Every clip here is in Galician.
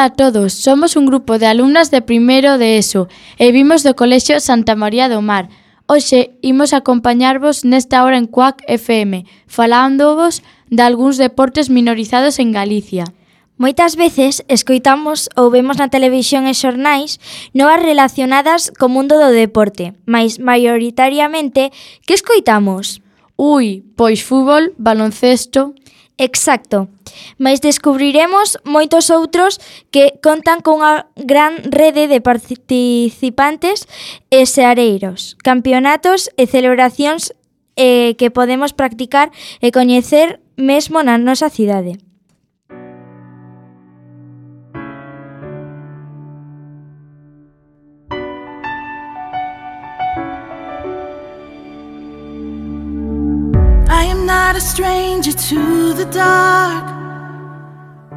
a todos, somos un grupo de alumnas de primeiro de ESO e vimos do Colexio Santa María do Mar. Hoxe imos acompañarvos nesta hora en Cuac FM, falándovos de algúns deportes minorizados en Galicia. Moitas veces escoitamos ou vemos na televisión e xornais novas relacionadas co mundo do deporte, mais maioritariamente, que escoitamos? Pois fútbol, baloncesto... Exacto, mais descubriremos moitos outros que contan cunha gran rede de participantes e seareiros, campeonatos e celebracións que podemos practicar e coñecer mesmo na nosa cidade. Not a stranger to the dark.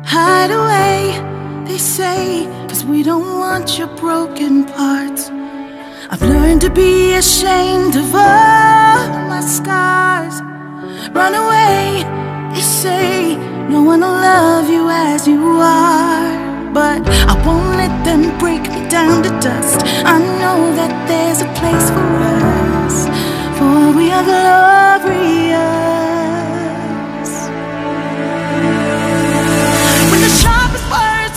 Hide away, they say, 'cause we don't want your broken parts. I've learned to be ashamed of all my scars. Run away, they say, no one will love you as you are. But I won't let them break me down to dust. I know that there's a place for us, for we are glorious.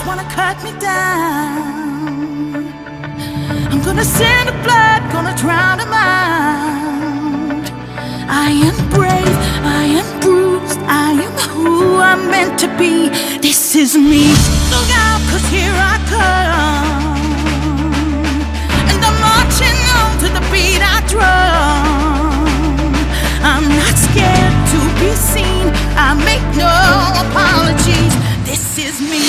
Wanna cut me down, I'm gonna send a flood, gonna drown them out. I am brave, I am bruised, I am who I'm meant to be. This is me. Look out, 'cause here I come, and I'm marching on to the beat I drum. I'm not scared to be seen, I make no apologies. This is me.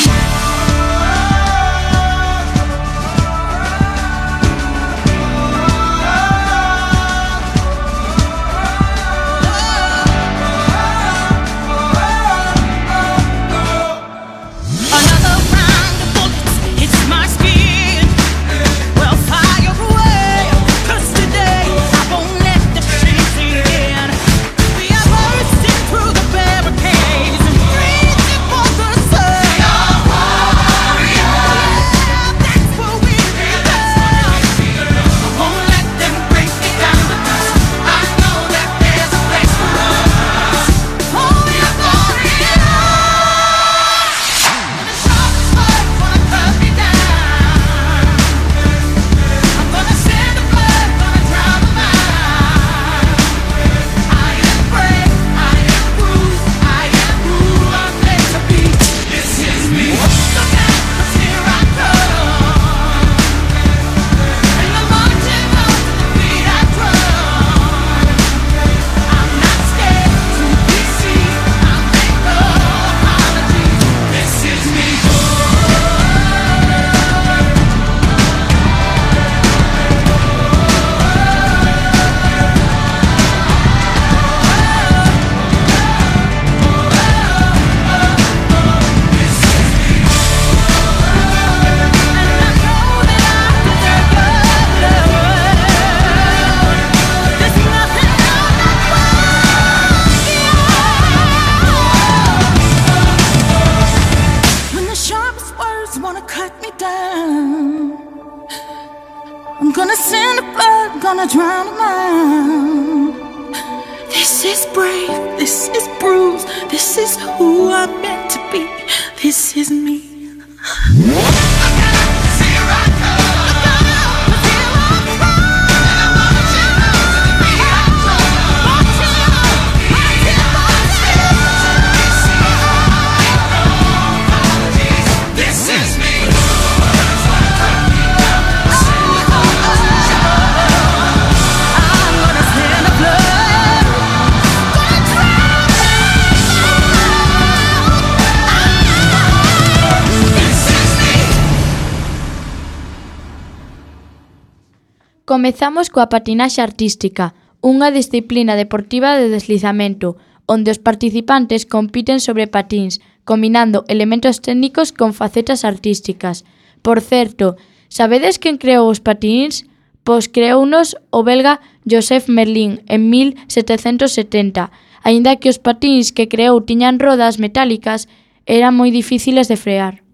Comezamos coa patinaxe artística, unha disciplina deportiva de deslizamento, onde os participantes compiten sobre patíns, combinando elementos técnicos con facetas artísticas. Por certo, sabedes quen creou os patíns? Pois creounos o belga Joseph Merlin en 1770, aínda que os patíns que creou tiñan rodas metálicas, eran moi difíciles de frear.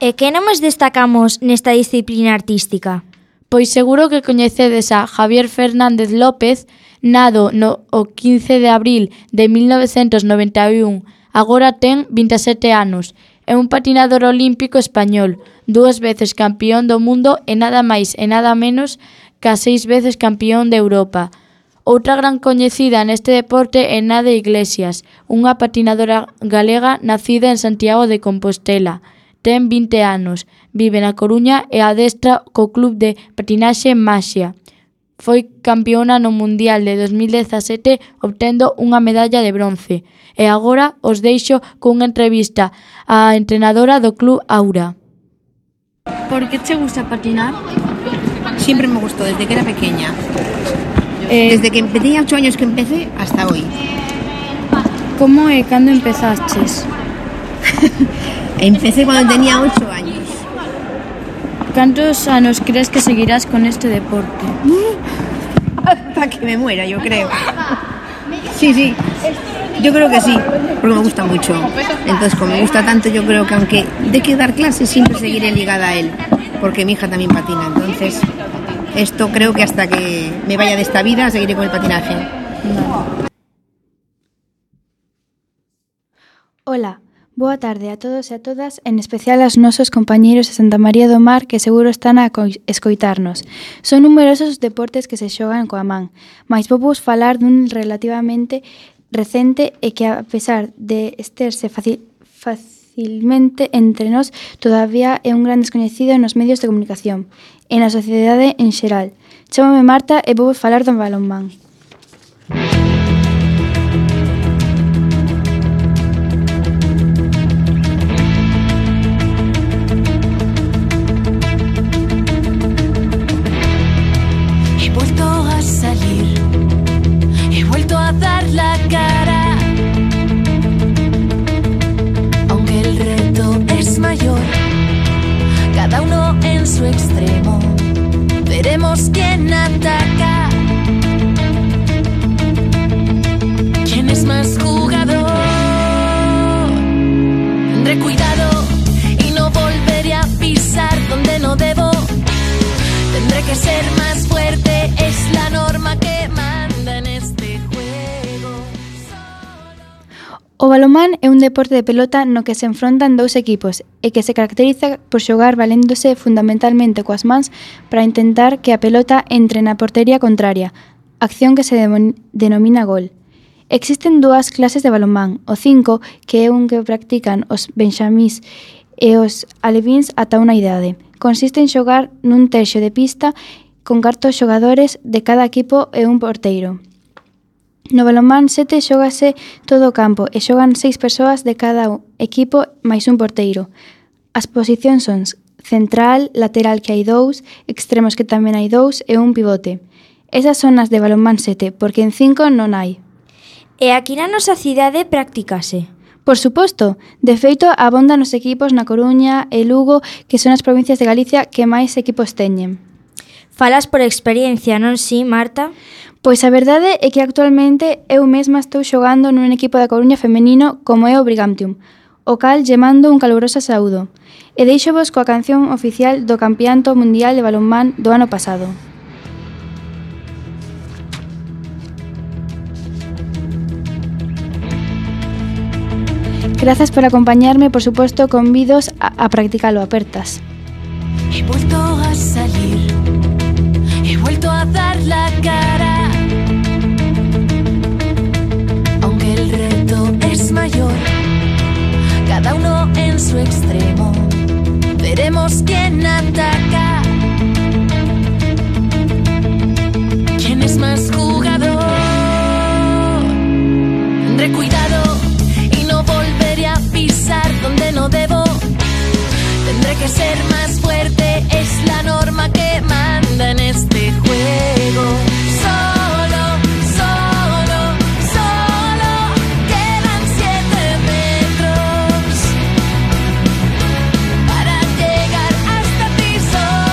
E que nomes destacamos nesta disciplina artística? Pois seguro que coñecedes a Javier Fernández López, nado o 15 de abril de 1991, agora ten 27 anos. É un patinador olímpico español, 2 veces campión do mundo e nada máis e nada menos que 6 veces campión de Europa. Outra gran coñecida neste deporte é Nade Iglesias, unha patinadora galega nacida en Santiago de Compostela. Ten 20 anos, vive na Coruña e adestra co club de patinaxe Maxia. Foi campeona no Mundial de 2017 obtendo unha medalla de bronce. E agora os deixo cunha entrevista á entrenadora do club Aura. Por que te gusta patinar? Siempre me gustó, desde que era pequeña. Desde que tenía 8 años que empecé hasta hoy. Como e cando empezaches? Empecé cuando tenía 8 años. Cantos anos crees que seguirás con este deporte? Hasta que me muera, yo creo. Sí. Yo creo que sí, porque me gusta mucho. Entonces, como me gusta tanto, yo creo que aunque de que dar clases, siempre seguiré ligada a él. Porque mi hija también patina. Entonces, esto creo que hasta que me vaya de esta vida, seguiré con el patinaje. Hola, boa tarde a todos e a todas, en especial aos nosos compañeiros de Santa María do Mar que seguro están a escoitarnos. Son numerosos os deportes que se xogan coa man, mais vou vos falar dun relativamente recente e que a pesar de esterse facilmente entre nós, todavía é un gran descoñecido nos medios de comunicación e na sociedade en xeral. Chámame Marta e vou vos falar do balonmán. He vuelto a dar la cara, aunque el reto es mayor, cada uno en su extremo, veremos quién ataca, quién es más jugador. Tendré cuidado y no volveré a pisar donde no debo, tendré que ser más fuerte, es la norma que manda en este juego. O balonmán é un deporte de pelota no que se enfrontan dous equipos e que se caracteriza por xogar valéndose fundamentalmente coas mans para intentar que a pelota entre na portería contraria, acción que se denomina gol. Existen dúas clases de balonmán, o 5, que é un que practican os benxamís e os alevíns ata unha idade. Consiste en xogar nun terxo de pista con 4 xogadores de cada equipo e un porteiro. No balonmán 7 xógase todo o campo e xogan 6 persoas de cada equipo máis un porteiro. As posicións son central, lateral que hai 2, extremos que tamén hai 2 e un pivote. Esas son as de balonmán 7, porque en 5 non hai. E aquí na nosa cidade practicase? Por suposto, de feito abondan os equipos na Coruña e Lugo, que son as provincias de Galicia que máis equipos teñen. Falas por experiencia, non si, Marta? Pois a verdade é que actualmente eu mesma estou xogando nun equipo da Coruña femenino como é o Brigantium, o cal lle mando un caluroso saúdo. E deixovos coa canción oficial do Campeonato Mundial de Balonmán do ano pasado. Grazas por acompañarme, por suposto, convidos a practicalo, apertas. He vuelto a salir, he vuelto a dar la cara, aunque el reto es mayor, cada uno en su extremo, veremos quién ataca, quién es más jugador. Tendré cuidado y no volveré a pisar donde no debo, tendré que ser más fuerte, es la norma que manda en este juego. Solo, solo, solo, quedan 7 metros para llegar hasta ti solo.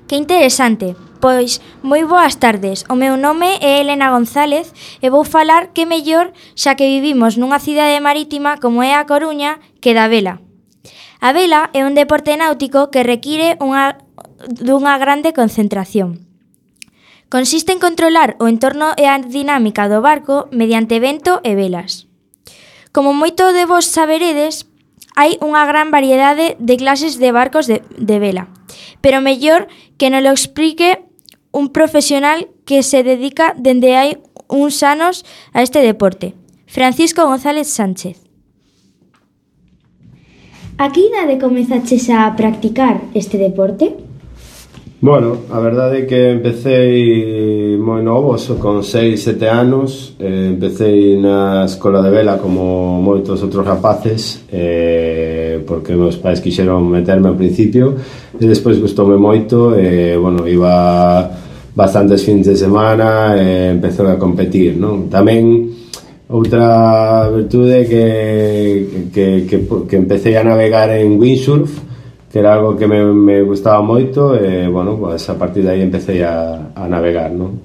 Que interesante. Pois, moi boas tardes. O meu nome é Elena González e vou falar que mellor xa que vivimos nunha cidade marítima como é a Coruña que da vela. A vela é un deporte náutico que require dunha grande concentración. Consiste en controlar o entorno e a dinámica do barco mediante vento e velas. Como moito de vos saberedes, hai unha gran variedade de clases de barcos de vela, pero mellor que nos lo explique un profesional que se dedica dende hai uns anos a este deporte, Francisco González Sánchez. A que idade comezaches a practicar este deporte? Bueno, a verdade é que empecé moi novo, con 6, 7 anos. Empecé na escola de vela como moitos outros rapaces, porque meus pais quixeron meterme ao principio, e despois gustoume moito, bueno, iba bastantes fins de semana e empecé a competir, non? Tamén outra virtude que empecé a navegar en windsurf, que era algo que me gustaba moito, e, bueno, pues a partir de aí empecé a navegar, non?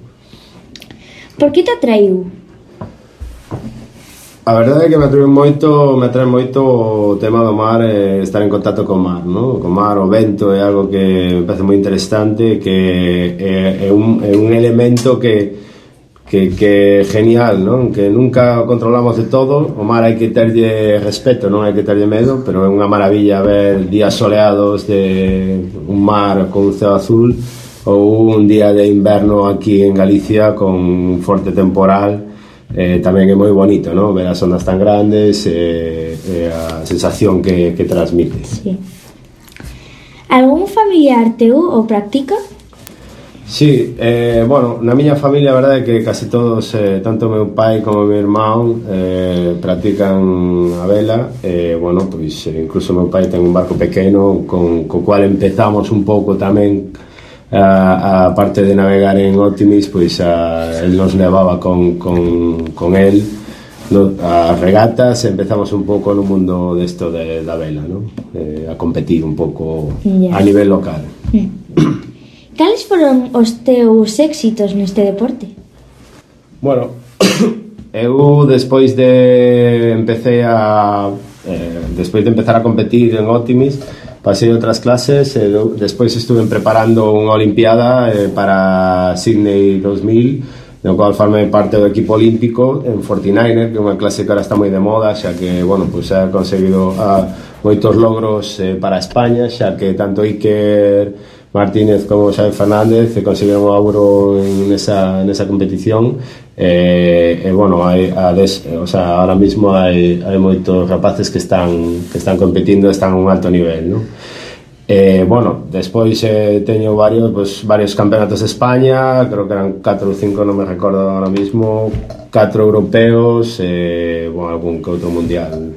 Por que te atraiu? A verdade é que me atrae moito o tema do mar, estar en contacto co mar, non? Co mar, o vento é algo que me parece moi interesante, que é un elemento que genial, non? Que nunca controlamos de todo. O mar hai que terlle respeto, non hai que terlle medo, pero é unha maravilla ver días soleados de un mar con un ceo azul, ou un día de inverno aquí en Galicia con un forte temporal. Tamén é moi bonito, non? Ver as ondas tan grandes e a sensación que transmite. Sí. Algún familiar teu o practica? Sí, bueno, na miña familia a verdade é que casi todos, tanto meu pai como meu irmán, practican a vela. Bueno, pois incluso meu pai ten un barco pequeno co cual empezamos un pouco tamén a parte de navegar en Optimis, pois el nos levaba con el as regatas, empezamos un pouco no mundo desto da vela, non? A competir un pouco a nivel local. Cales foron os teus éxitos neste deporte? Bueno, eu despois de empezar a competir en Optimis, pasei outras clases, e despois estuve preparando unha olimpiada para Sydney 2000, no cual formei parte do equipo olímpico en 49er, que é unha clase que ahora está moi de moda, xa que, bueno, pues ha conseguido moitos logros para España, xa que tanto Iker Martínez como Xavi Fernández conseguiron o ouro nesa competición, bueno, ahora mismo hai moitos rapaces que están competindo, están a un alto nivel, non? Bueno, despois teño varios campeonatos de España, creo que eran 4 ou 5, non me recordo ahora mismo, 4 europeos, bueno, algún que outro mundial.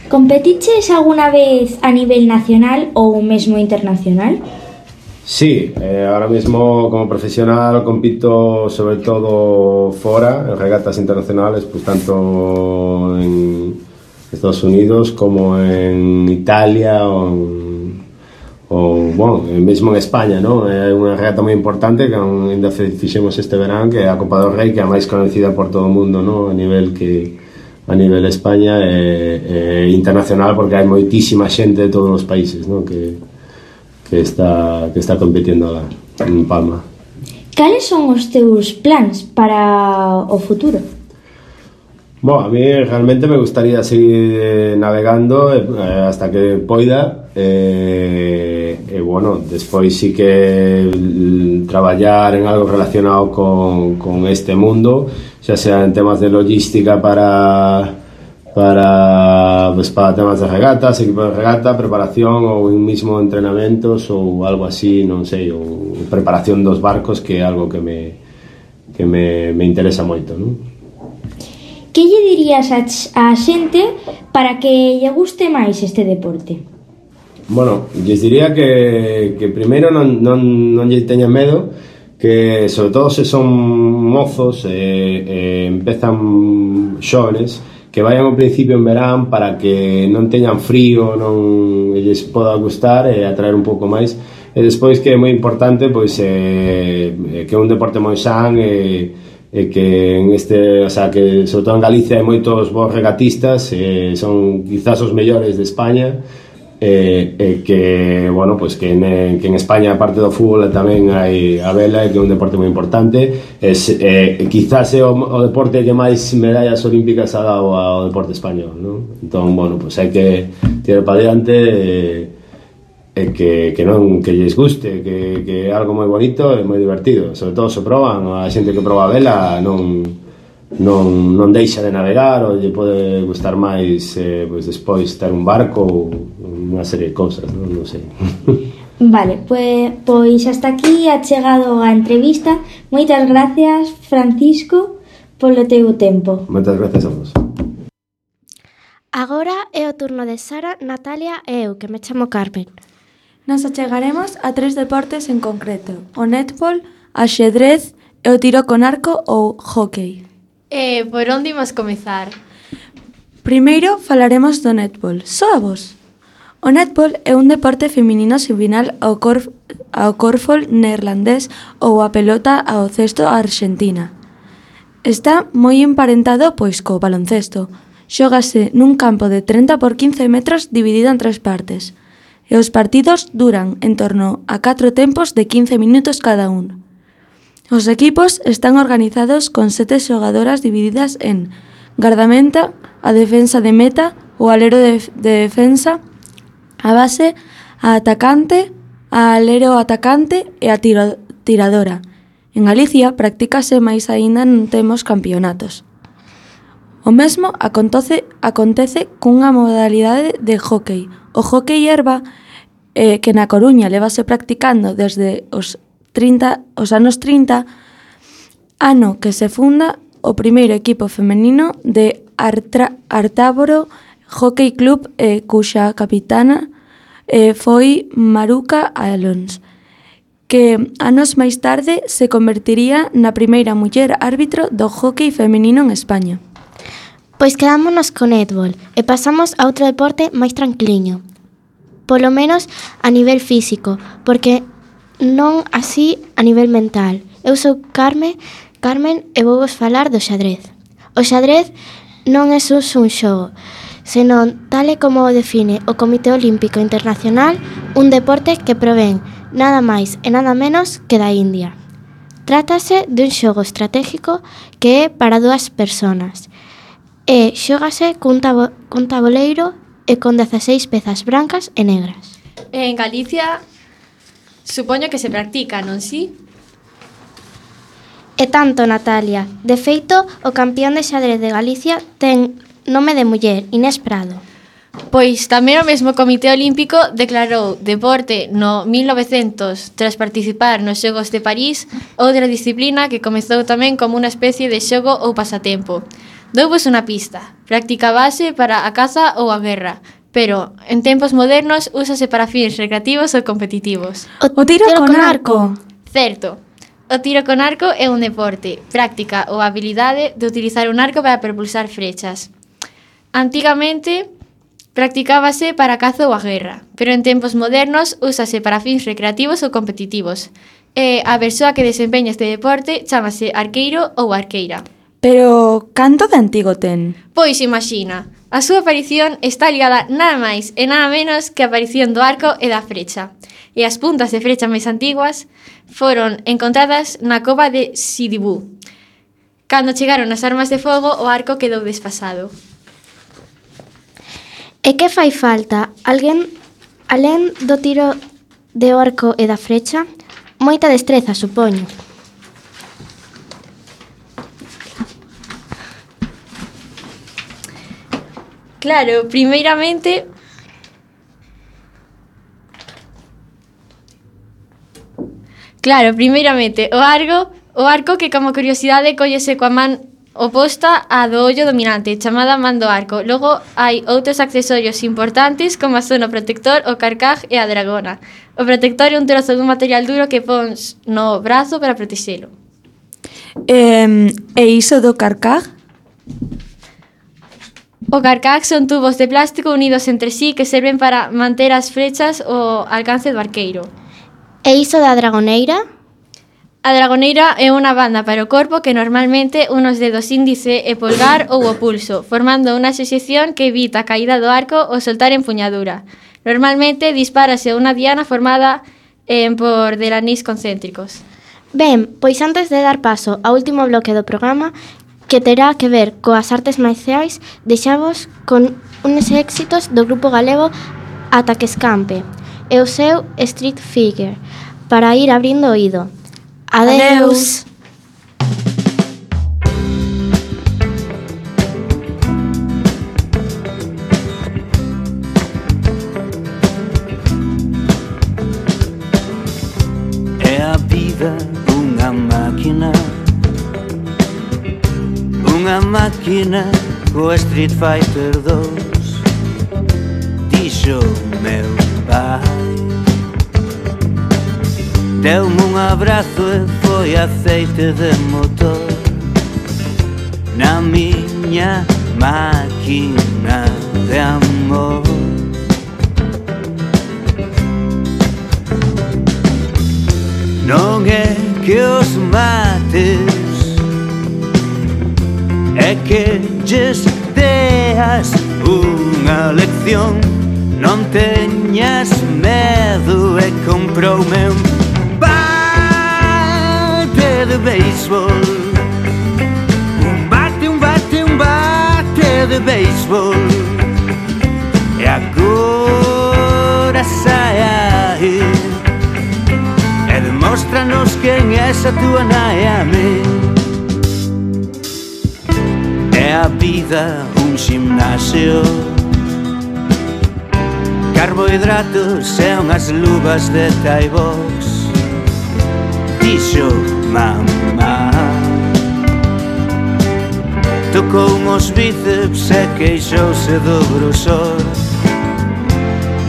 Competiches alguna vez a nivel nacional ou mesmo internacional? Sí, ahora mismo como profesional compito sobre todo fora, en regatas internacionales, pues tanto en Estados Unidos como en Italia o bueno, mesmo en España, ¿no? É unha regata moi importante que ainda fixemos este verán, que é a Copa do Rei, que é a máis conocida por todo o mundo, ¿no? A nivel España e internacional, porque hai moitísima xente de todos os países, ¿no? que está competindo lá en Palma. Cales son os teus plans para o futuro? Bueno, a mí realmente me gustaría seguir navegando hasta que poida, bueno, despois sí que traballar en algo relacionado con este mundo, xa sea en temas de logística para temas de regatas, equipo de regata, preparación ou mismo entrenamentos ou algo así, non sei, ou preparación dos barcos, que é algo que me interesa moito, non? Que lle dirías a xente para que lle guste máis este deporte? Bueno, lles diría que primeiro non lle teñan medo, que sobre todo se son mozos empezan xóvenes, que vayan ao principio en verán para que non teñan frío, non lles poda gustar e atraer un pouco máis. E despois que é moi importante pois que é un deporte moi san e que en este, o sea, que sobre todo en Galicia hai moitos bons regatistas, son quizás os mellores de España, que, bueno, pues que en España, aparte do fútbol, tamén hai a vela, que é un deporte moi importante. Quizás é o deporte que máis medallas olímpicas ha dado ao deporte español, ¿no? Entón, bueno, pues hai que tirar para diante que non, que lles guste, que é algo moi bonito e moi divertido. Sobre todo se proban, a xente que proba a vela non deixa de navegar, ou lle pode gustar máis pois despois ter un barco ou unha serie de cousas, non sei. Vale, pois hasta aquí ha chegado a entrevista. Moitas gracias, Francisco, polo teu tempo. Moitas gracias a vos. Agora é o turno de Sara, Natalia e eu, que me chamo Carmen. Nos achegaremos a 3 deportes en concreto: o netball, a xedrez e o tiro con arco ou hóckey. Por onde imos comezar? Primeiro falaremos do netball. Soa vos. O netball é un deporte feminino similar ao corfball neerlandés ou a pelota ao cesto arxentina. Está moi emparentado pois co baloncesto. Xógase nun campo de 30 por 15 metros dividido en 3 partes. E os partidos duran en torno a 4 tempos de 15 minutos cada un. Os equipos están organizados con 7 xogadoras divididas en gardameta, a defensa de meta, o alero de defensa, a base, a atacante, a alero atacante e a tiradora. En Galicia practícase máis aínda non temos campeonatos. O mesmo acontece cunha modalidade de hóckey. O hóckey herba, que na Coruña levase practicando desde os anos 30, ano que se funda o primeiro equipo femenino de Artáboro Hockey Club, cuxa capitana foi Maruca Alons, que anos máis tarde se convertiría na primeira muller árbitro do hockey femenino en España. Pois quedámonos co netball e pasamos a outro deporte máis tranquiliño. Polo menos a nivel físico, porque non así a nivel mental. Eu sou Carmen e vou vos falar do xadrez. O xadrez non é só un xogo, senón, tal e como o define o Comité Olímpico Internacional, un deporte que provén nada máis e nada menos que da India. Trátase dun xogo estratégico que é para 2 personas e xógase cun taboleiro e con 16 pezas brancas e negras. En Galicia supoño que se practica, non si? E tanto, Natalia. De feito, o campeón de xadrez de Galicia ten nome de muller, Inés Prado. Pois tamén o mesmo Comité Olímpico declarou deporte no 1900 tras participar nos Xogos de París, outra disciplina que comezou tamén como unha especie de xogo ou pasatempo. Douvos unha pista. Práctica base para a caza ou a guerra, pero en tempos modernos úsase para fins recreativos ou competitivos. O tiro con arco. Certo. O tiro con arco é un deporte, práctica ou habilidade de utilizar un arco para propulsar flechas. Antigamente practicábase para a caza ou a guerra, pero en tempos modernos úsase para fins recreativos ou competitivos. E a persoa que desempeña este deporte chámase arqueiro ou arqueira. Pero canto de antigo ten? Pois imagina, a súa aparición está ligada nada máis e nada menos que a aparición do arco e da frecha. E as puntas de frecha máis antiguas foron encontradas na cova de Sidibú. Cando chegaron as armas de fogo, o arco quedou desfasado. E que fai falta? Alguén, alén do tiro de arco e da frecha, moita destreza, supoño. Claro, primeiramente o arco que como curiosidade collese coa man oposta á do ollo dominante, chamada man do arco. Logo hai outros accesorios importantes como son o protector, o carcaj e a dragona. O protector é un trozo dun material duro que pons no brazo para protexelo. E iso do carcaj? O carcax son tubos de plástico unidos entre sí que serven para manter as flechas ao alcance do arqueiro. E iso da dragoneira? A dragoneira é unha banda para o corpo que normalmente unos dedos índice e polgar ou o pulso, formando unha asociación que evita a caída do arco ou soltar empuñadura. Normalmente dispárase unha diana formada por delanís concéntricos. Ben, pois antes de dar paso ao último bloque do programa, que terá que ver coas artes marciais, deixamos con unos éxitos do grupo galego Ata que escampe e o seu Street Figure, para ir abrindo oído. Adeus! É a vida unha máquina co Street Fighter 2. Dixo meu pai, deu-me un abrazo e foi aceite de motor na miña máquina de amor. Non é que os mates, é que lles deas unha lección. Non teñas medo e comproume un bate de béisbol. Un bate de béisbol. E agora sai aí e demóstranos quen é esa túa nai a mí. É a vida un gimnasio, carbohidratos e unhas luvas de Thai box. Dixo mamá, tocou os bíceps e queixouse do grosor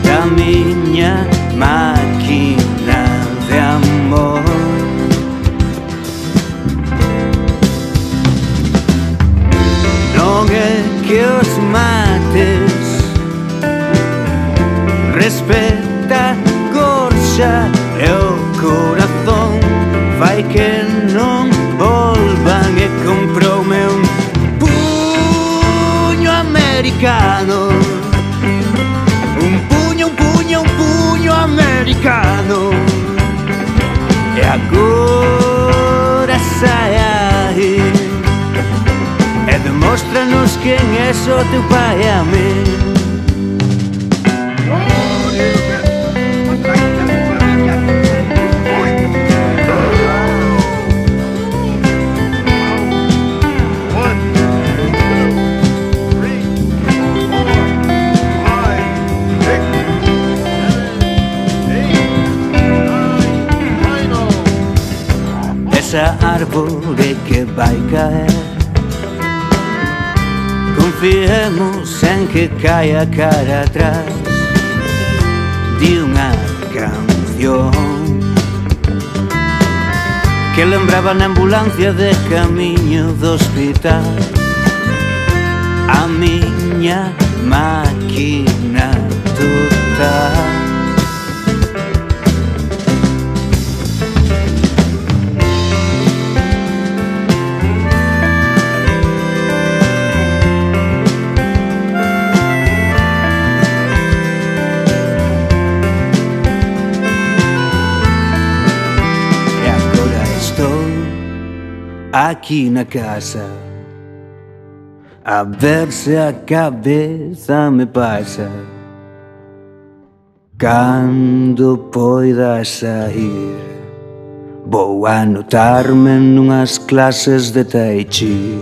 da miña máquina de amor. Non é que os mates, respeta a gorxa e o corazón, fai que non volvan e comproume un puño americano. Un puño americano. E agora sai aí e demóstranos quen é o teu pai a mí. Esa árbore que vai caer, confiemos en que caia cara atrás de unha canción que lembraba na ambulancia de camiño do hospital a miña máquina total. Aquí na casa, a ver se a cabeza me pasa. Cando poida sair, vou anotarme nunhas clases de Tai Chi.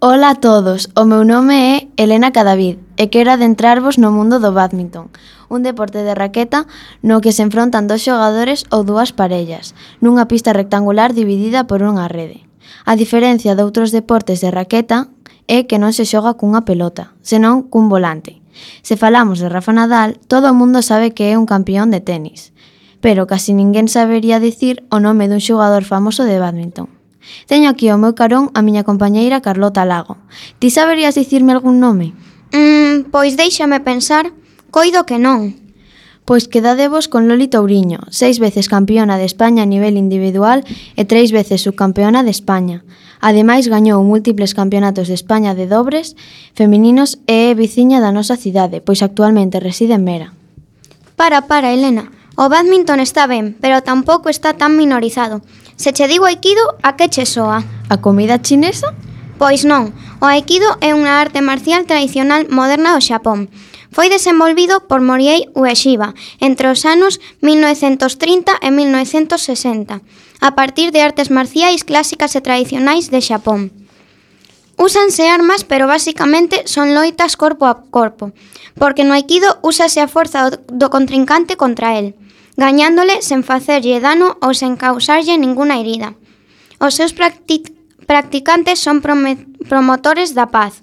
Ola a todos, o meu nome é Elena Cadavid e quero adentrarvos no mundo do bádminton, un deporte de raqueta no que se enfrontan dos xogadores ou dúas parellas, nunha pista rectangular dividida por unha rede. A diferencia de outros deportes de raqueta é que non se xoga cunha pelota, senón cun volante. Se falamos de Rafa Nadal, todo o mundo sabe que é un campeón de tenis, pero casi ninguén sabería dicir o nome dun xogador famoso de bádminton. Teño aquí ao meu carón a miña compañeira Carlota Lago. Ti saberías dicirme algún nome? Pois déixame pensar, coido que non. Pois quedadevos con Loli Touriño, 6 veces campeona de España a nivel individual e 3 veces subcampeona de España. Ademais, gañou múltiples campeonatos de España de dobres femininos e é veciña da nosa cidade, pois actualmente reside en Mera. Para, Elena. O bádminton está ben, pero tampouco está tan minorizado. Se che digo aikido, a que che soa? A comida chinesa? Pois non. O aikido é unha arte marcial tradicional moderna do Xapón. Foi desenvolvido por Moriei Ueshiba entre os anos 1930 e 1960, a partir de artes marciais clásicas e tradicionais de Xapón. Úsanse armas, pero basicamente son loitas corpo a corpo, porque no aikido úsase a forza do contrincante contra el, gañándole sen facerlle dano ou sen causarlle ninguna herida. Os seus practicantes son promotores da paz.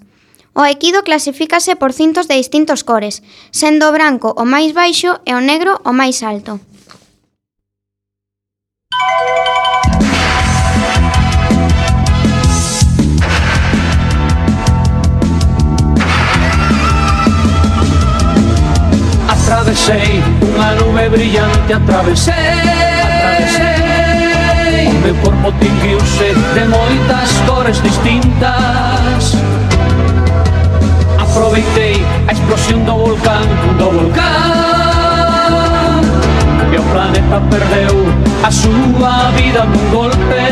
O aikido clasifícase por cintos de distintos cores, sendo o branco o máis baixo e o negro o máis alto. Atravesei unha nube brillante, atravesei o meu corpo tinguiuse de moitas cores distintas. Aproveitei a explosión do volcán e o planeta perdeu a súa vida nun golpe.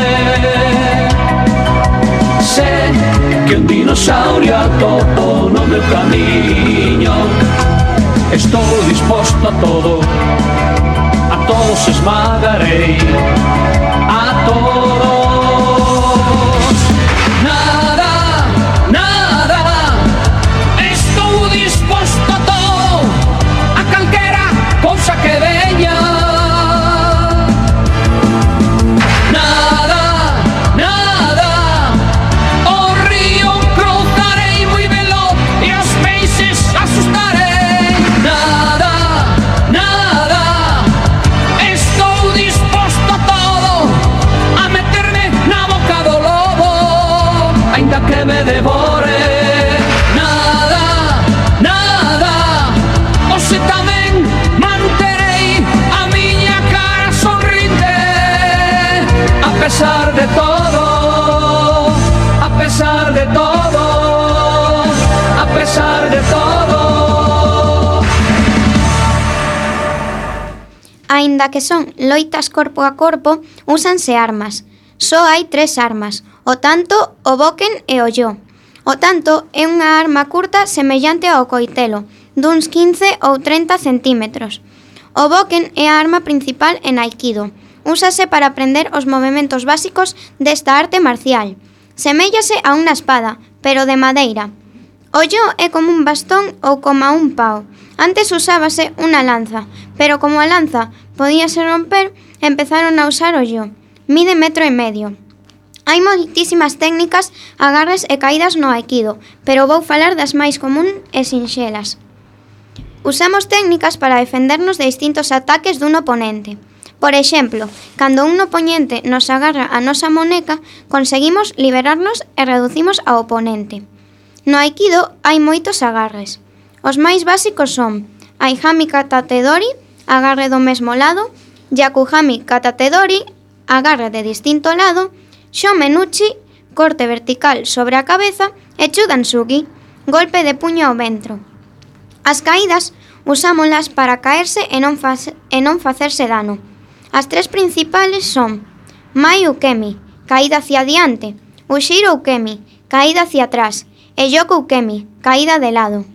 Sé que un dinosaurio atopo no meu camiño. Estou disposto a todos esmagarei, a todos. Que veña nada, o río cruzarei moi veloz e os peixes asustarei. Nada, estou disposto a todo, a meterme na boca do lobo, aínda que me devore. Nada, hoxe tamén manterei a miña cara sorrinte. A pesar de todo, a pesar de todo, a pesar de todo. Aínda que son loitas corpo a corpo, úsanse armas. Só hai 3 armas, o tanto, o boken e o yo. O tanto é unha arma curta semellante ao coitelo, duns 15 ou 30 centímetros. O boken é a arma principal en aikido. Úsase para aprender os movementos básicos desta arte marcial. Seméllase a unha espada, pero de madeira. O yo é como un bastón ou como un pau. Antes usábase unha lanza, pero como a lanza podíase romper, empezaron a usar o yo. Mide 1,5 metros. Hai moitísimas técnicas, agarres e caídas no aikido, pero vou falar das máis común e sinxelas. Usamos técnicas para defendernos de distintos ataques dun oponente. Por exemplo, cando un oponente nos agarra a nosa moneca, conseguimos liberarnos e reducimos ao oponente. No aikido hai moitos agarres. Os máis básicos son Aihami Katatedori, agarre do mesmo lado, Yakuhami Katatedori, agarre de distinto lado, Shomenuchi, corte vertical sobre a cabeza, e Chudansugi, golpe de puño ao ventro. As caídas usámolas para caerse e non facerse dano. As 3 principales son Mai Ukemi, caída hacia diante, Ushiro Ukemi, caída hacia atrás, e Yoku Ukemi, caída de lado.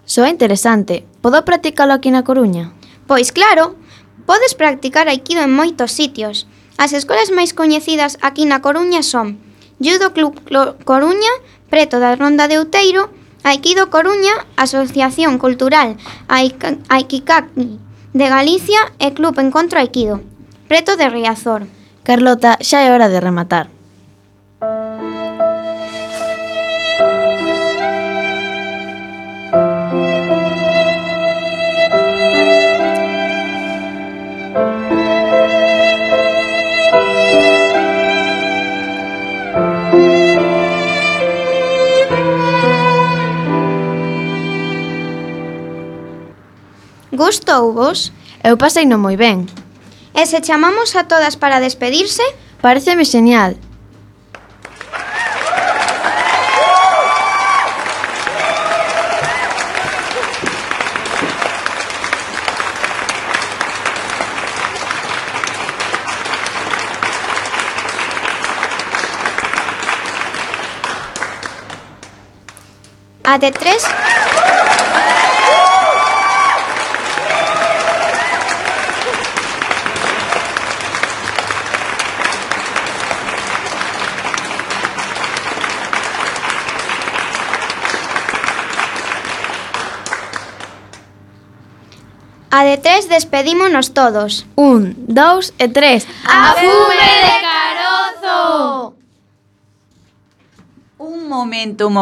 Soa interesante. Podo practicalo aquí na Coruña? Pois claro, podes practicar aikido en moitos sitios. As escolas máis coñecidas aquí na Coruña son Judo Club Coruña, preto da Ronda de Outeiro, Aikido Coruña, Asociación Cultural Aikikaki de Galicia e Club Encontro Aikido, preto de Riazor. Carlota, xa é hora de rematar. Gustouvos? Eu paseino moi ben. E se chamamos a todas para despedirse? Pareceme xeñal. A de 3. A de 3 despedímonos todos. 1, 2 e 3. A fume de carozo! Un momento.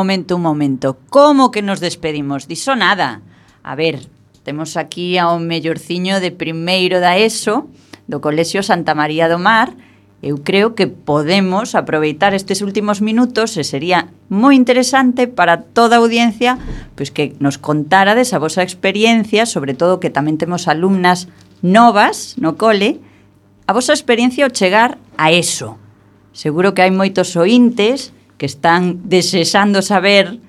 Como que nos despedimos? Diso nada. A ver, temos aquí ao mellorciño de primeiro da ESO, do Colexio Santa María do Mar. Eu creo que podemos aproveitar estes últimos minutos e sería moi interesante para toda a audiencia pois que nos contárades a vosa experiencia, sobre todo que tamén temos alumnas novas no cole, a vosa experiencia ao chegar a ESO. Seguro que hai moitos ointes que están desexando saber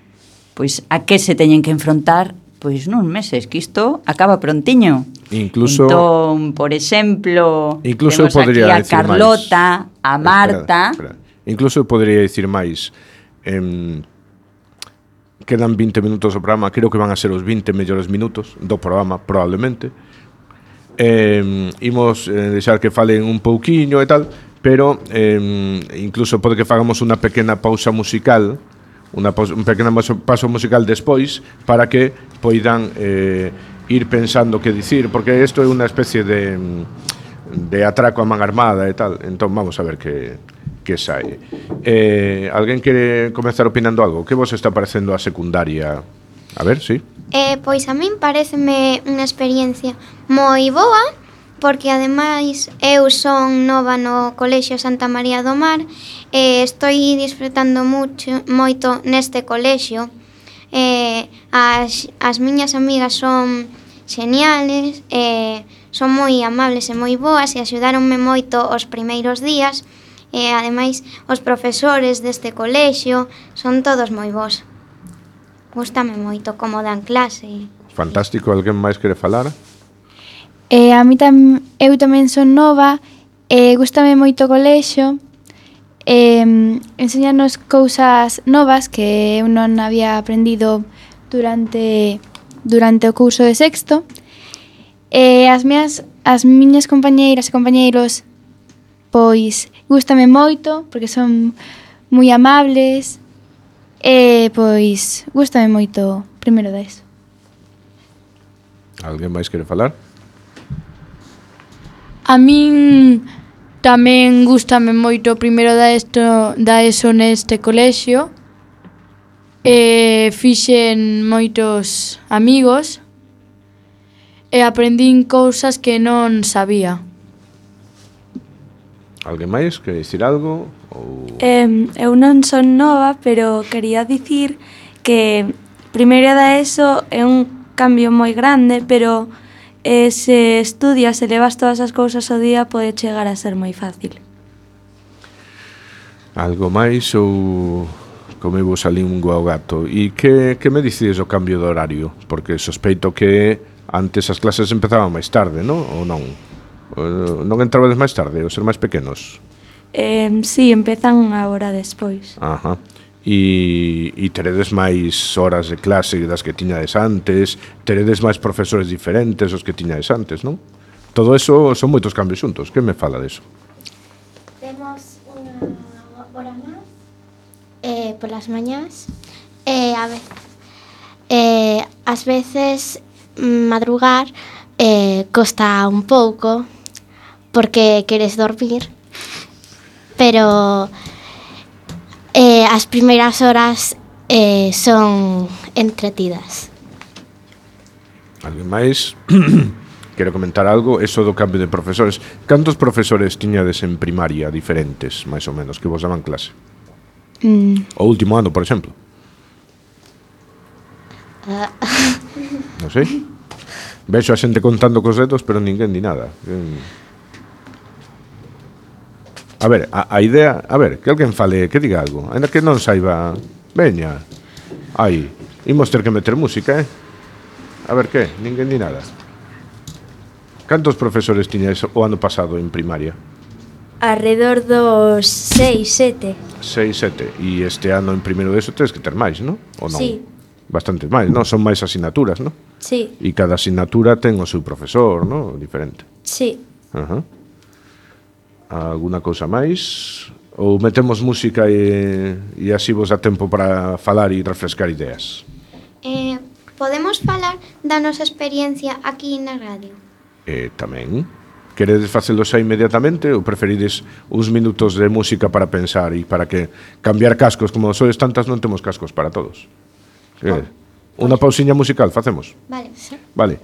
pois a que se teñen que enfrontar pois nuns meses, que isto acaba prontiño. Incluso, entón, por exemplo, incluso temos podría aquí a Carlota, máis. a Marta. Espera. Incluso podría dicir máis. Quedan 20 minutos do programa, creo que van a ser os 20 mellores minutos do programa, probablemente. Imos deixar que falen un pouquiño e tal, pero incluso pode que fagamos unha pequena pausa musical, un pequeno paso musical despois, para que poidan ir pensando que dicir, porque isto é unha especie de atraco a man armada e tal. Entón vamos a ver que sai. Alguén quere comezar opinando algo? Que vos está parecendo a secundaria? A ver, sí. Pois a min pareceme unha experiencia moi boa, porque ademais eu son nova no Colexio Santa María do Mar e estou disfrutando moito neste colexio. As miñas amigas son xeniales, son moi amables e moi boas e axudáronme moito os primeiros días e ademais os profesores deste colexio son todos moi bons. Gústame moito como dan clase. Fantástico, alguén máis quere falar? A mí eu tamén son nova e gústame moito o colexio. Enseñanos cousas novas que eu non había aprendido durante o curso de sexto. As miñas compañeiras e compañeiros pois gústame moito porque son moi amables e pois gústame moito primeiro da ESO. Alguén máis quere falar? A min tamén gústame moito o primeiro da ESO neste colexio. Fixen moitos amigos e aprendín cousas que non sabía. Alguén máis quere dicir algo? Eu non son nova, pero quería dicir que primeiro da ESO é un cambio moi grande, pero se estudias e levas todas as cousas ao día pode chegar a ser moi fácil. Algo máis ou comemos a lingua ao gato? E que me dicides o cambio de horario? Porque sospeito que antes as clases empezaban máis tarde, non? Ou non? Non entrabades máis tarde, ou ser máis pequenos? Sí, empezan unha hora despois. Ajá. E teredes máis horas de clase das que tiñades antes, teredes máis profesores diferentes os que tiñades antes, non? Todo eso son moitos cambios xuntos. Que me fala deso? Temos unha hora máis polas mañás ás veces madrugar costa un pouco porque queres dormir, pero as primeiras horas son entretidas. Alguén máis? Quero comentar algo? Eso do cambio de profesores. Cantos profesores tiñades en primaria diferentes, máis ou menos, que vos daban clase? O último ano, por exemplo. Non sei. Vexo a xente contando cos dedos, pero ninguén di nada. A ver, a idea... A ver, que alguén fale, que diga algo. Ainda que non saiba... Veña. Aí. Imos ter que meter música, A ver, que? Ninguén di nada. Cantos profesores tiñais o ano pasado en primaria? Arredor dos 6, 7. 6, 7. E este ano en primeiro de eso tens que ter máis, non? Ou non? Sí. Bastante máis, non? Son máis asignaturas, non? Sí. E cada asignatura ten o seu profesor, non? Diferente. Sí. Alguna cousa máis? Ou metemos música e así vos dá tempo para falar e refrescar ideas? Podemos falar da nosa experiencia aquí na radio? Tamén. Queredes facelo xa inmediatamente ou preferides uns minutos de música para pensar e para que cambiar cascos, como sois tantas non temos cascos para todos? Unha pausiña musical facemos? Vale. Vale.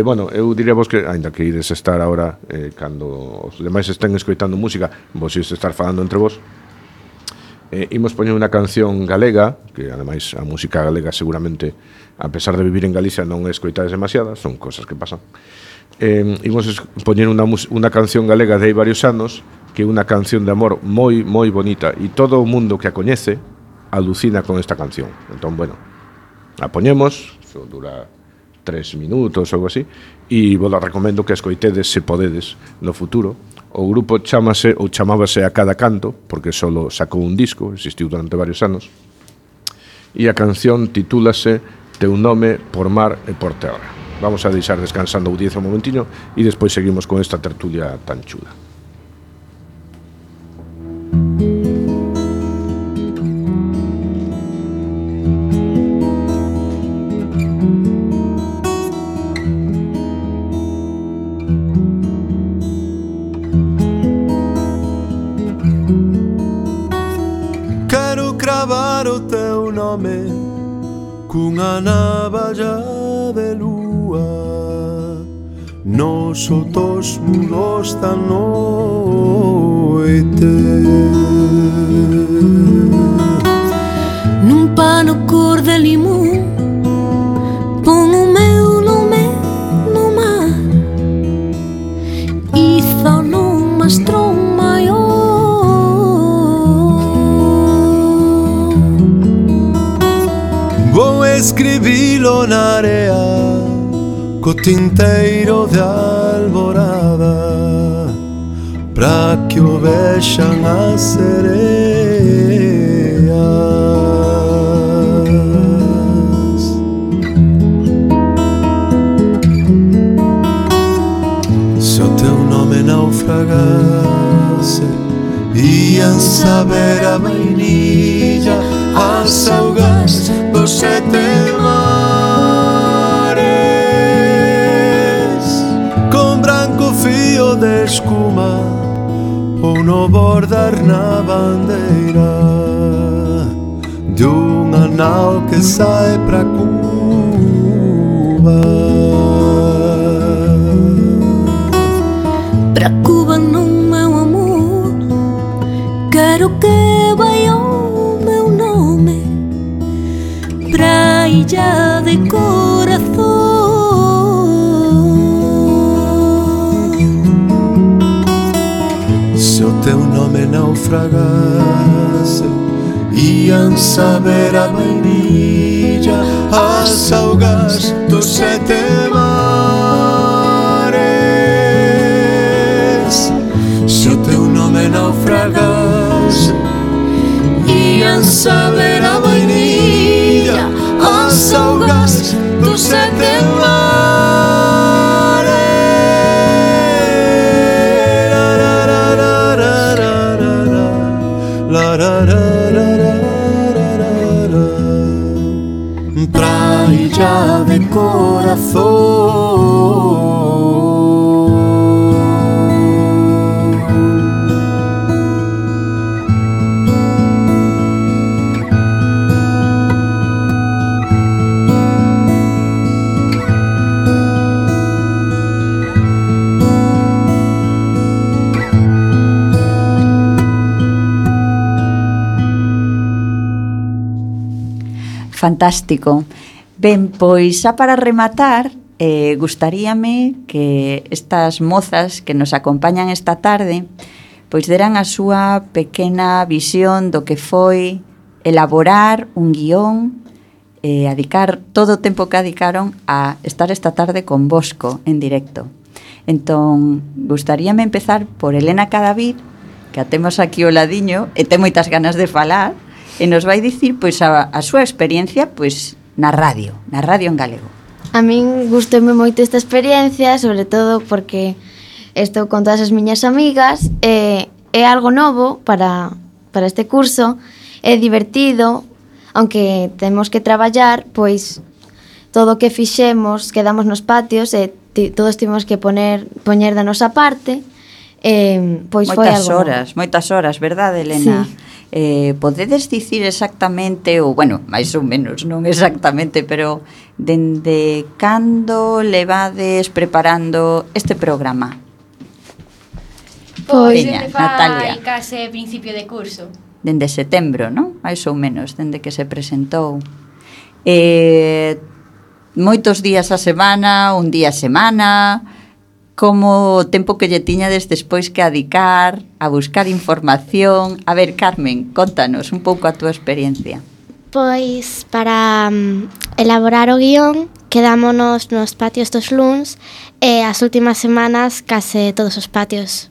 Bueno, eu diría vos que, aínda que ides estar agora cando os demais estén escoitando música, vos ides estar falando entre vos, imos poñer unha canción galega, que ademais a música galega seguramente, a pesar de vivir en Galicia, non escoitades demasiadas, son cosas que pasan. Imos poñer unha canción galega de hai varios anos, que é unha canción de amor moi, moi bonita, e todo o mundo que a coñece alucina con esta canción. Entón, bueno, a poñemos, dura 3 minutos ou algo así, e vos la recomendo que escoitedes se podedes no futuro. O grupo chamase ou chamábase A Cada Canto, porque solo sacou un disco, existiu durante varios anos, e a canción titúlase Teu nome por mar e por terra. Vamos a deixar descansando a audiencia un momentiño e despois seguimos con esta tertulia tan chula. Quero cravar o teu nome cunha navalla de lúa nos outros muros da noite. Nun pano cor de limón pon o meu nome no mar, hizo nun mastrón maior. Vou escribilo na area co tinteiro de alborada pra que o vexan as sereas. Se o teu nome naufragase, ian saber a vainilla as augas dos 7 mares, con branco fío de escuma ou no bordar na bandeira de unha nao que sai pra Cuba. Pra Cuba non, meu amor, quero que vai o meu nome pra illa de corazón. Se o teu nome naufragase, ian saber a vainilla as augas dos 7 mares. Se o teu nome naufragase, ian saber a vainilla as augas dos 7 mares. Praia de corazón. Fantástico. Ben, pois xa para rematar, gustaríame que estas mozas que nos acompañan esta tarde pois deran a súa pequena visión do que foi elaborar un guión e dedicar todo o tempo que dedicaron a estar esta tarde con Bosco en directo. Entón, gustaríame empezar por Elena Cadavid, que a temos aquí ao ladiño e ten moitas ganas de falar, e nos vai dicir pois a súa experiencia pois na radio en galego. A min gustoume moito esta experiencia, sobre todo porque estou con todas as miñas amigas, é algo novo para este curso, é divertido, aunque temos que traballar, pois todo o que fixemos, quedamos nos patios e todos tivemos que poñer da nosa parte, pois foi algo moitas horas, verdade, Elena? Sí. Podedes dicir exactamente, ou bueno, máis ou menos, non exactamente, pero dende cando levades preparando este programa? Pois Veña, Natalia. case principio de curso. Dende setembro, non? Mais ou menos, dende que se presentou. Moitos días a semana, un día a semana, como o tempo que lle tiñades despois que adicar, a buscar información. A ver, Carmen, contanos un pouco a túa experiencia. Pois para elaborar o guión quedámonos nos patios dos luns e as últimas semanas case todos os patios.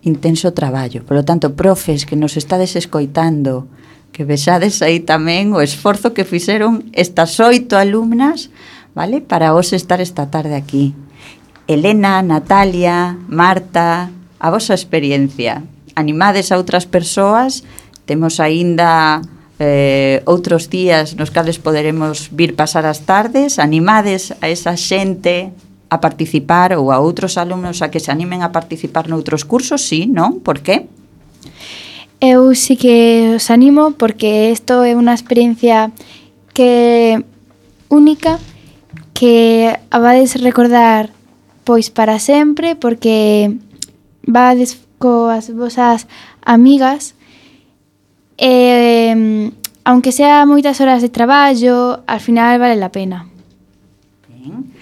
Intenso traballo. Por lo tanto, profes que nos estades escoitando, que vexades aí tamén o esforzo que fixeron estas 8 alumnas, vale, para vos estar esta tarde aquí. Elena, Natalia, Marta, a vosa experiencia. Animades a outras persoas, temos aínda outros días nos cales poderemos vir pasar as tardes, animades a esa xente a participar ou a outros alumnos a que se animen a participar noutros cursos, sí, non? Por qué? Eu sí que os animo porque isto é unha experiencia que única, que a vades recordar pois para sempre, porque vades coas vosas amigas e aunque sea moitas horas de traballo, al final vale la pena. Ben.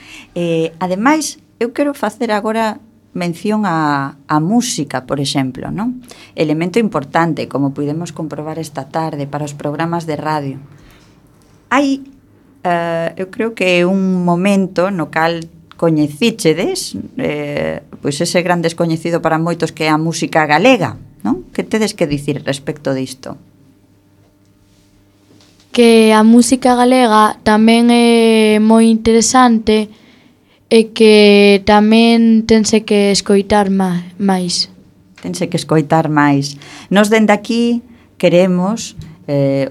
Ademais, eu quero facer agora mención a música, por exemplo, non? Elemento importante, como podemos comprobar esta tarde para os programas de radio. Hai, eu creo que é un momento no cal coñecíchedes, pois ese gran descoñecido para moitos que é a música galega, non? Que tedes que dicir respecto disto? Que a música galega tamén é moi interesante e que tamén tense que escoitar máis. Tense que escoitar máis. Nos dende aquí queremos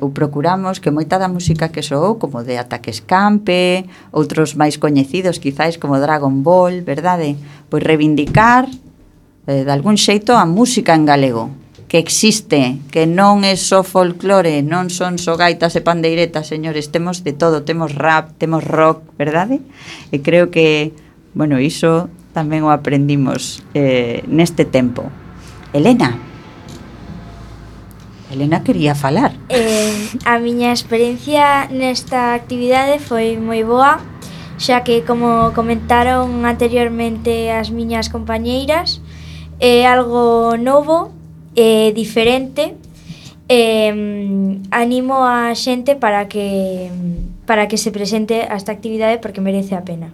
ou procuramos que moita da música que soou, como de Ataque Escampe, outros máis coñecidos quizáis como Dragon Ball, verdade? Pois reivindicar de algún xeito a música en galego, que existe, que non é só folclore, non son só gaitas e pandeiretas, señores, temos de todo, temos rap, temos rock, verdade? E creo que, bueno, iso tamén o aprendimos neste tempo. Elena quería falar. A miña experiencia nesta actividade foi moi boa, xa que, como comentaron anteriormente as miñas compañeiras, é algo novo, diferente. Animo a xente para que se presente a esta actividade porque merece a pena.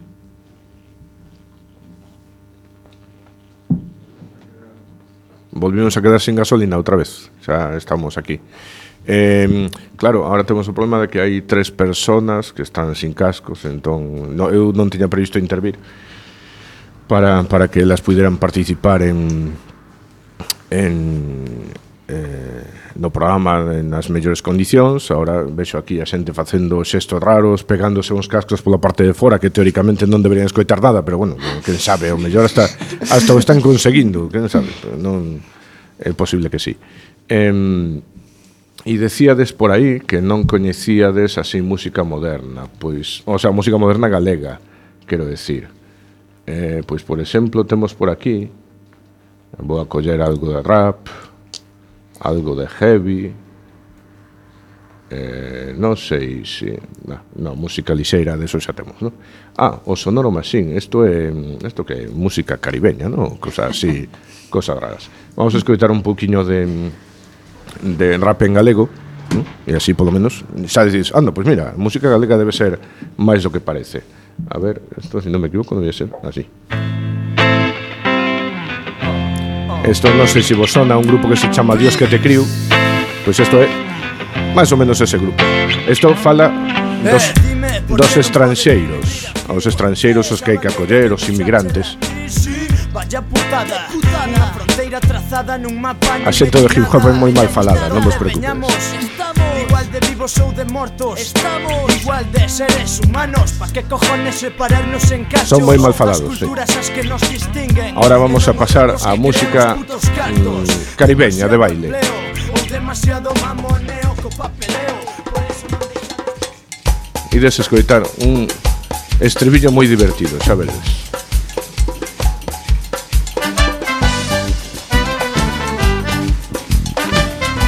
Volvimos a quedar sin gasolina outra vez. Xa estamos aquí. Claro, ahora temos o problema de que hai 3 personas que están sin cascos, entón eu non tiña previsto intervir para que elas puderan participar no programa nas mellores condicións. Ahora vexo aquí a xente facendo xestos raros, pegándose uns cascos pola parte de fora, que teóricamente non deberían escoitar nada, pero bueno, quen sabe, o mellor hasta o están conseguindo, quen sabe, non é posible que sí. E decíades por aí que non coñecíades así música moderna, pois, o sea, música moderna galega, quero decir. Pois, por exemplo, temos por aquí, vou a coller algo de rap, algo de heavy, Non sei se... No, música lixeira, deso xa temos, non? O Sonoro Machine, isto que é música caribeña, non? Cosas así, cosas raras. Vamos a escoitar un pouquiño de rap en galego, non? E así, polo menos, xa dices, pois mira, música galega debe ser máis do que parece. A ver, isto, se non me equivoco, debe ser así. Isto non sei se vos sona un grupo que se chama Dios que te criu. Pois isto é máis ou menos ese grupo. Isto fala dos estranxeiros. Aos estranxeiros os que hai que acoller, os inmigrantes. A xente de hip hop é moi mal falada, non vos preocupedes. Igual de vivos ou de mortos, igual de seres humanos, pa que cojones separarnos en cachos. Son moi mal falados, sí. Ahora vamos a pasar a música caribeña de baile. Ides escoitar un estribillo moi divertido, xa veredes.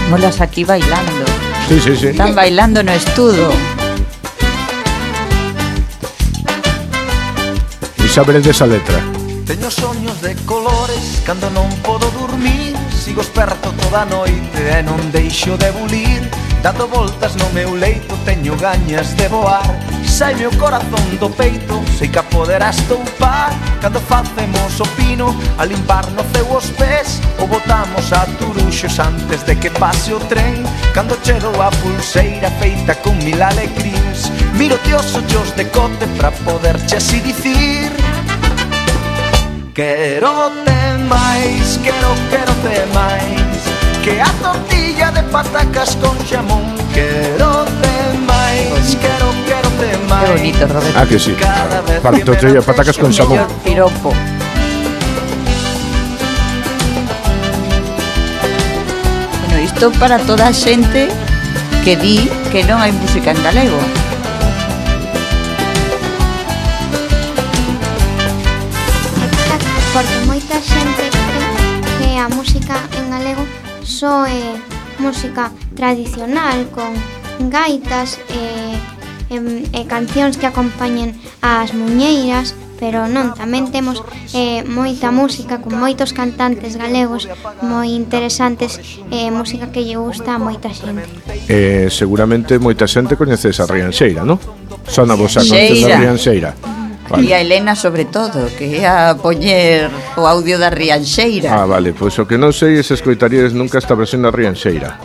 Molas aquí bailando. Sí. Están bailando no estudo. E xa veredes a letra. Teño soños de colores cando non podo dormir. Sigo esperto toda a noite e non deixo de bulir. Dando voltas no meu leito teño gañas de voar. Saime o corazón do peito, sei que a poderás toupar. Cando facemos o pino, a limpar no ceu os pés, ou botamos a turuxos antes de que pase o tren. Cando chego a pulseira feita con mil alegrins, miro-te os ollos de cote pra poderche así dicir: quero-te máis, quero-te máis, que a tortilla de patacas con xamón. Quero-te máis, quero-te máis. Qué bonito, Roberto. Que sí, para tortilla de patacas con xamón. Piropo. Bueno, isto para toda a xente que di que non hai música en galego. Porque moita xente que a música en galego só é música tradicional con gaitas e cancións que acompañen as muñeiras, pero non, tamén temos moita música con moitos cantantes galegos moi interesantes, música que lle gusta a moita xente. Seguramente moita xente coñeces a Rianxeira, non? Son a vosa canción da Rianxeira. Vale. E a Elena sobre todo, que é a poñer o audio da Rianxeira. Vale, pois o que non sei é se escoitaríades nunca esta versión da Rianxeira.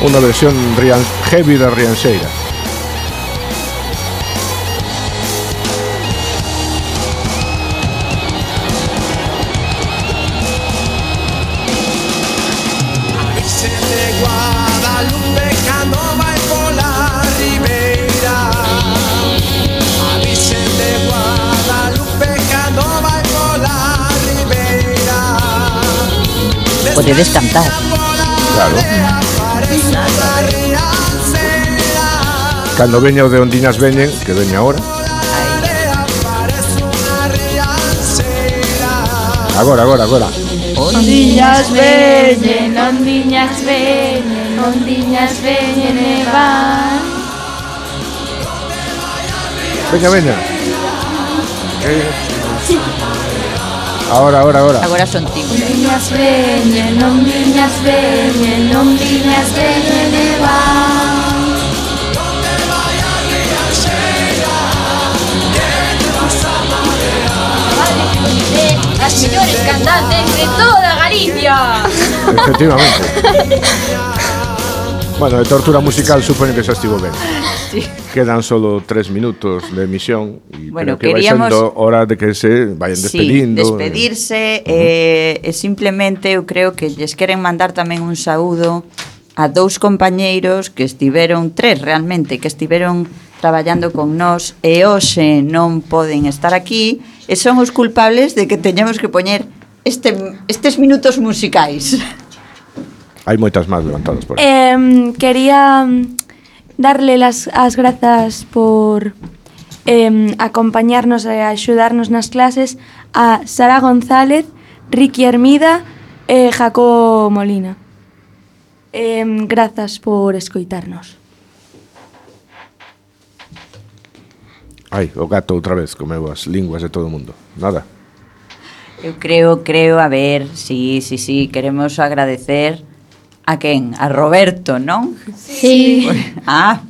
Unha versión heavy da Rianxeira. Podedes cantar. Claro. Cando veña o de Ondiñas veñen, que veña ahora. Agora. Ondiñas veñen, ondiñas veñen, ondiñas veñen e van. Veña. Ahora. Agora son timos. Ondiñas veñen, ondiñas veñen, ondiñas veñen e van. As mellores cantantes de toda Galicia. Efectivamente. Bueno, de tortura musical supoño que xa estivo ben. Sí. Quedan solo 3 minutos de emisión e bueno, creo que vai sendo hora de que se vayan despedindo. Sí, despedirse e simplemente eu creo que lles queren mandar tamén un saúdo a 2 compañeiros que estiveron, 3 realmente, que estiveron traballando con nós e hoxe non poden estar aquí e son os culpables de que teñamos que poñer estes minutos musicais. Hai moitas máis levantadas por aí. Quería darle as grazas por acompañarnos e axudarnos nas clases a Sara González, Ricky Hermida e Jacobo Molina. Grazas por escoitarnos. Ai, o gato outra vez comeu as linguas de todo o mundo. Nada. Eu creo, a ver, sí, queremos agradecer a quen? A Roberto, non? Sí.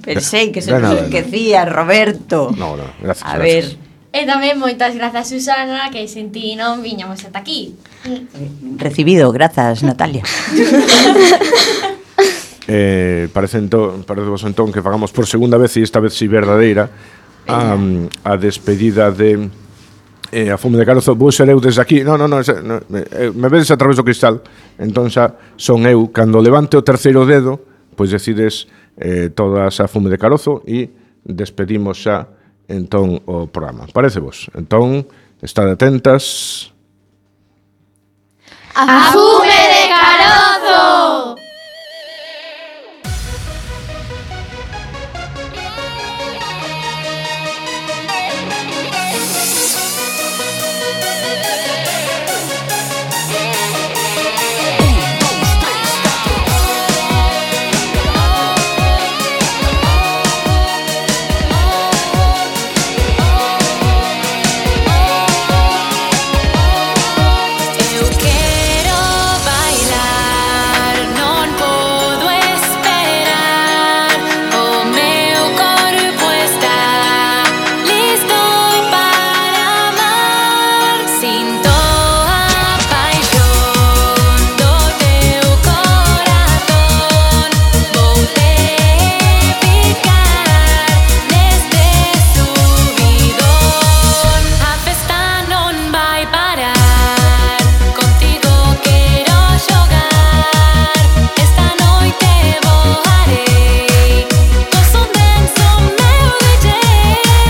Pensei que se nos esquecía, Roberto. No, gracias. A ver. E tamén moitas grazas, Susana, que sen ti non viñamos ata aquí. Recibido, grazas, Natalia. Parecevos entón que fagamos por segunda vez, e esta vez si verdadeira, a despedida de a Fume de Carozo. Vou ser eu desde aquí. No, me vedes a través do cristal. Entón xa son eu. Cando levante o terceiro dedo, pois decides todas a Fume de Carozo e despedimos xa entón o programa. Parece vos? Entón, estad atentas. A Fume de Carozo!